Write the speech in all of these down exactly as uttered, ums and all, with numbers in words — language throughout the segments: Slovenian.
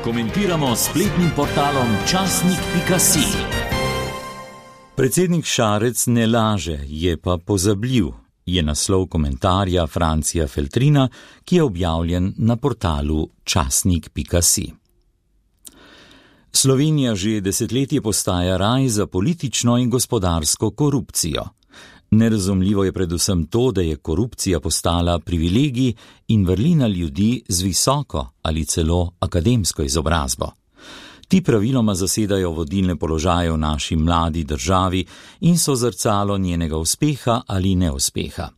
Komentiramo spletnim portalom časnik pika si. Predsednik Šarec ne laže, je pa pozabljiv, je naslov komentarja Francija Feltrina, ki je objavljen na portalu časnik pika si. Slovenija že desetletje postaja raj za politično in gospodarsko korupcijo. Nerazumljivo je predvsem to, da je korupcija postala privilegij in vrlina ljudi z visoko ali celo akademsko izobrazbo. Ti praviloma zasedajo vodilne položaje v naši mladi državi in so zrcalo njenega uspeha ali neuspeha.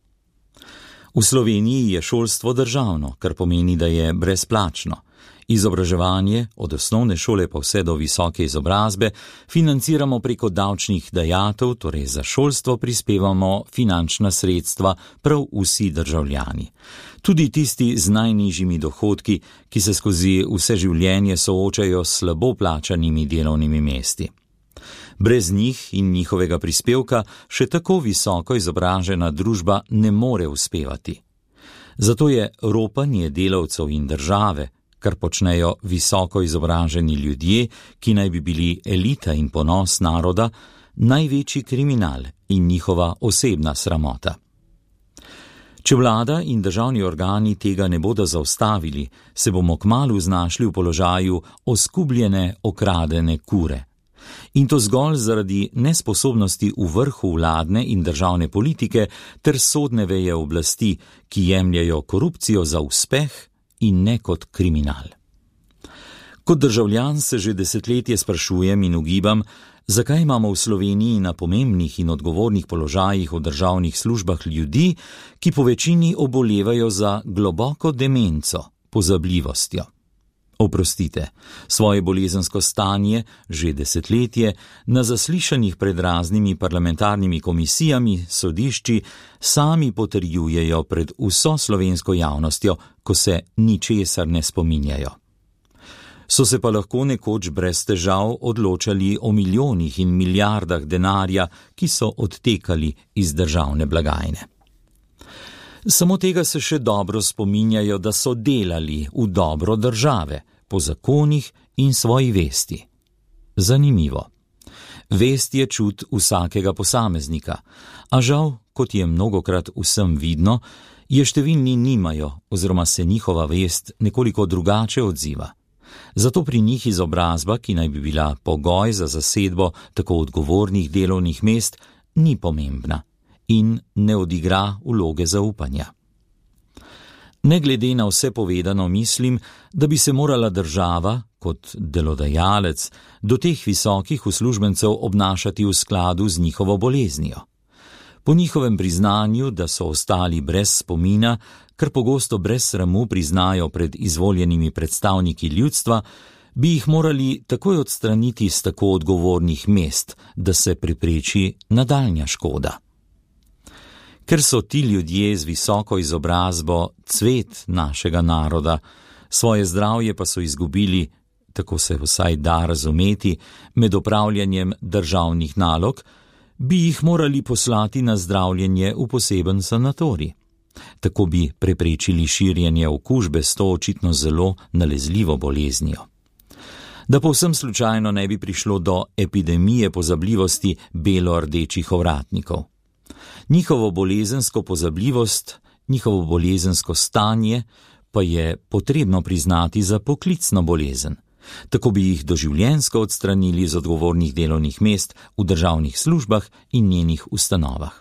V Sloveniji je šolstvo državno, kar pomeni, da je brezplačno. Izobraževanje, od osnovne šole pa vse do visoke izobrazbe, financiramo preko davčnih dajatev, torej za šolstvo prispevamo finančna sredstva prav vsi državljani. Tudi tisti z najnižjimi dohodki, ki se skozi vse življenje soočajo s slabo plačanimi delovnimi mesti. Brez njih in njihovega prispevka še tako visoko izobražena družba ne more uspevati. Zato je ropanje delavcev in države, kar počnejo visoko izobraženi ljudje, ki naj bi bili elita in ponos naroda, največji kriminal in njihova osebna sramota. Če vlada in državni organi tega ne bodo zaustavili, se bomo kmalu znašli v položaju oskubljene, okradene kure. In to zgolj zaradi nesposobnosti v vrhu vladne in državne politike ter sodne veje oblasti, ki jemljejo korupcijo za uspeh in ne kot kriminal. Kot državljan se že desetletje sprašujem in ugibam, zakaj imamo v Sloveniji na pomembnih in odgovornih položajih v državnih službah ljudi, ki po večini obolevajo za globoko demenco, pozabljivostjo. Oprostite, svoje bolezensko stanje, že desetletje, na zaslišanjih pred raznimi parlamentarnimi komisijami, sodišči, sami potrjujejo pred vso slovensko javnostjo, ko se ničesar ne spominjajo. So se pa lahko nekoč brez težav odločali o milijonih in milijardah denarja, ki so odtekali iz državne blagajne. Samo tega se še dobro spominjajo, da so delali v dobro države, po zakonih in svoji vesti. Zanimivo. Vest je čut vsakega posameznika, a žal, kot je mnogokrat vsem vidno, je številni nimajo oziroma se njihova vest nekoliko drugače odziva. Zato pri njih izobrazba, ki naj bi bila pogoj za zasedbo tako odgovornih delovnih mest, ni pomembna in ne odigra vloge zaupanja. Ne glede na vse povedano mislim, da bi se morala država, kot delodajalec, do teh visokih uslužbencev obnašati v skladu z njihovo boleznijo. Po njihovem priznanju, da so ostali brez spomina, kar pogosto brez sramu priznajo pred izvoljenimi predstavniki ljudstva, bi jih morali takoj odstraniti z tako odgovornih mest, da se prepreči nadaljnja škoda. Ker so ti ljudje z visoko izobrazbo cvet našega naroda, svoje zdravje pa so izgubili, tako se vsaj da razumeti, med opravljanjem državnih nalog, bi jih morali poslati na zdravljenje v poseben sanatorij. Tako bi preprečili širjenje okužbe s to očitno zelo nalezljivo boleznijo. Da povsem slučajno ne bi prišlo do epidemije pozabljivosti belo-rdečih ovratnikov. Njihovo bolezensko pozabljivost, njihovo bolezensko stanje pa je potrebno priznati za poklicno bolezen. Tako bi jih doživljenjsko odstranili z odgovornih delovnih mest v državnih službah in njenih ustanovah.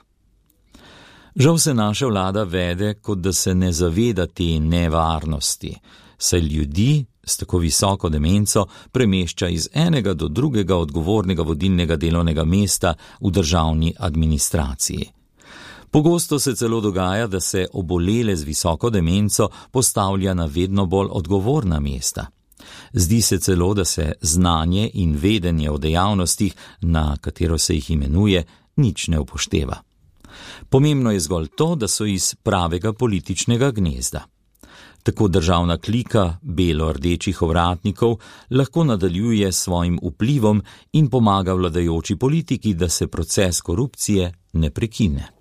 Žal se naša vlada vede, kot da se ne zaveda te nevarnosti, saj ljudi s tako visoko demenco premešča iz enega do drugega odgovornega vodilnega delovnega mesta v državni administraciji. Pogosto se celo dogaja, da se obolele z visoko demenco postavlja na vedno bolj odgovorna mesta. Zdi se celo, da se znanje in vedenje o dejavnostih, na katero se jih imenuje, nič ne upošteva. Pomembno je zgolj to, da so iz pravega političnega gnezda. Tako državna klika belo-rdečih ovratnikov lahko nadaljuje s svojim vplivom in pomaga vladajoči politiki, da se proces korupcije ne prekine.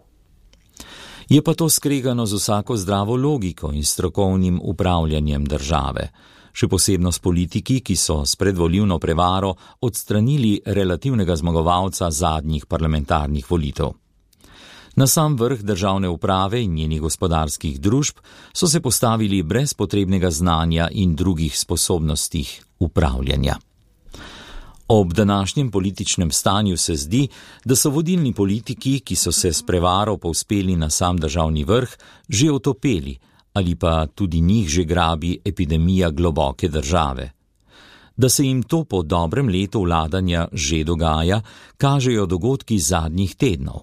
Je pa to skregano z vsako zdravo logiko in strokovnim upravljanjem države. še posebno s politiki, ki so s predvolilno prevaro odstranili relativnega zmagovalca zadnjih parlamentarnih volitev. Na sam vrh državne uprave in njenih gospodarskih družb so se postavili brez potrebnega znanja in drugih sposobnostih upravljanja. Ob današnjem političnem stanju se zdi, da so vodilni politiki, ki so se s prevaro povzpeli na sam državni vrh, že otopeli ali pa tudi njih že grabi epidemija globoke države. Da se jim to po dobrem letu vladanja že dogaja, kažejo dogodki zadnjih tednov.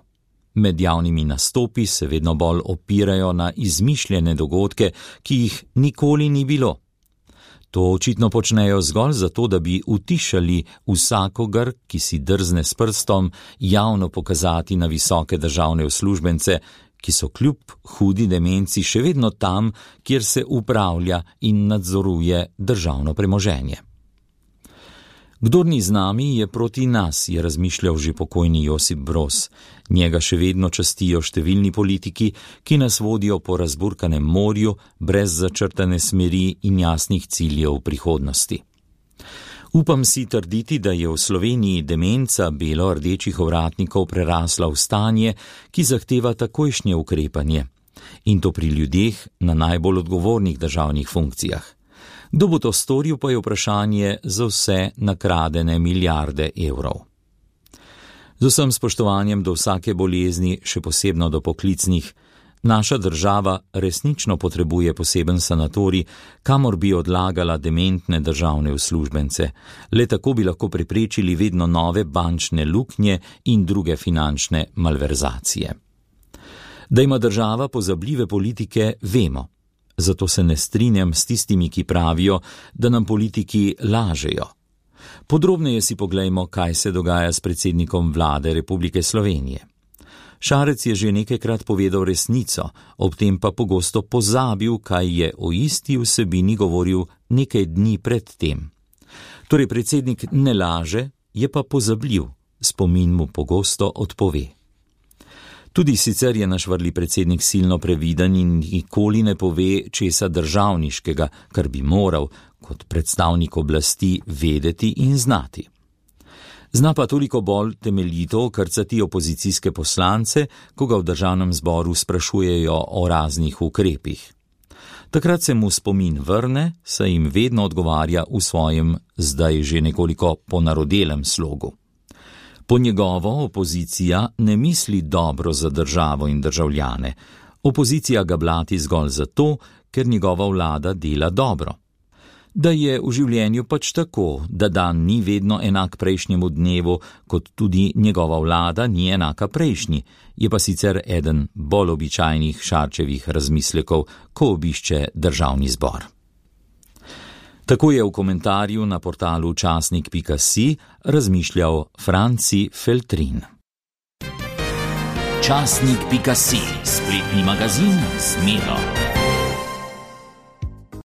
Med javnimi nastopi se vedno bolj opirajo na izmišljene dogodke, ki jih nikoli ni bilo. To očitno počnejo zgolj zato, da bi utišali vsakogar, ki si drzne s prstom javno pokazati na visoke državne uslužbence, ki so kljub hudi demenci še vedno tam, kjer se upravlja in nadzoruje državno premoženje. Kdor ni z nami, je proti nas, je razmišljal že pokojni Josip Broz. Njega še vedno častijo številni politiki, ki nas vodijo po razburkanem morju, brez začrtane smeri in jasnih ciljev v prihodnosti. Upam si trditi, da je v Sloveniji demenca belo-rdečih ovratnikov prerasla v stanje, ki zahteva takojšnje ukrepanje. In to pri ljudeh na najbolj odgovornih državnih funkcijah. Kdo bo to storil, pa je vprašanje za vse nakradene milijarde evrov. Z vsem spoštovanjem do vsake bolezni, še posebno do poklicnih, naša država resnično potrebuje poseben sanatorij, kamor bi odlagala dementne državne uslužbence. Le tako bi lahko preprečili vedno nove bančne luknje in druge finančne malverzacije. Da ima država pozabljive politike, vemo. Zato se ne strinjam s tistimi, ki pravijo, da nam politiki lažejo. Podrobneje si poglejmo, kaj se dogaja s predsednikom vlade Republike Slovenije. Šarec je že nekajkrat povedal resnico, ob tem pa pogosto pozabil, kaj je o isti vsebini govoril nekaj dni pred tem. Torej predsednik ne laže, je pa pozabljiv, spomin mu pogosto odpove. Tudi sicer je naš vrli predsednik silno previden in nikoli ne pove česa državniškega, kar bi moral kot predstavnik oblasti vedeti in znati. Zna pa toliko bolj temeljito okrcati opozicijske poslance, ko ga v državnem zboru sprašujejo o raznih ukrepih. Takrat se mu spomin vrne, saj jim vedno odgovarja v svojem zdaj že nekoliko ponarodelem slogu. Po njegovo opozicija ne misli dobro za državo in državljane. Opozicija ga blati zgolj zato, ker njegova vlada dela dobro. Da je v življenju pač tako, da dan ni vedno enak prejšnjemu dnevu, kot tudi njegova vlada ni enaka prejšnji, je pa sicer eden bolj običajnih Šarčevih razmislekov, ko obišče državni zbor. Tako je v komentarju na portalu časnik pika si razmišljal Franci Feltrin. časnik pika si, spletni magazin z Miro.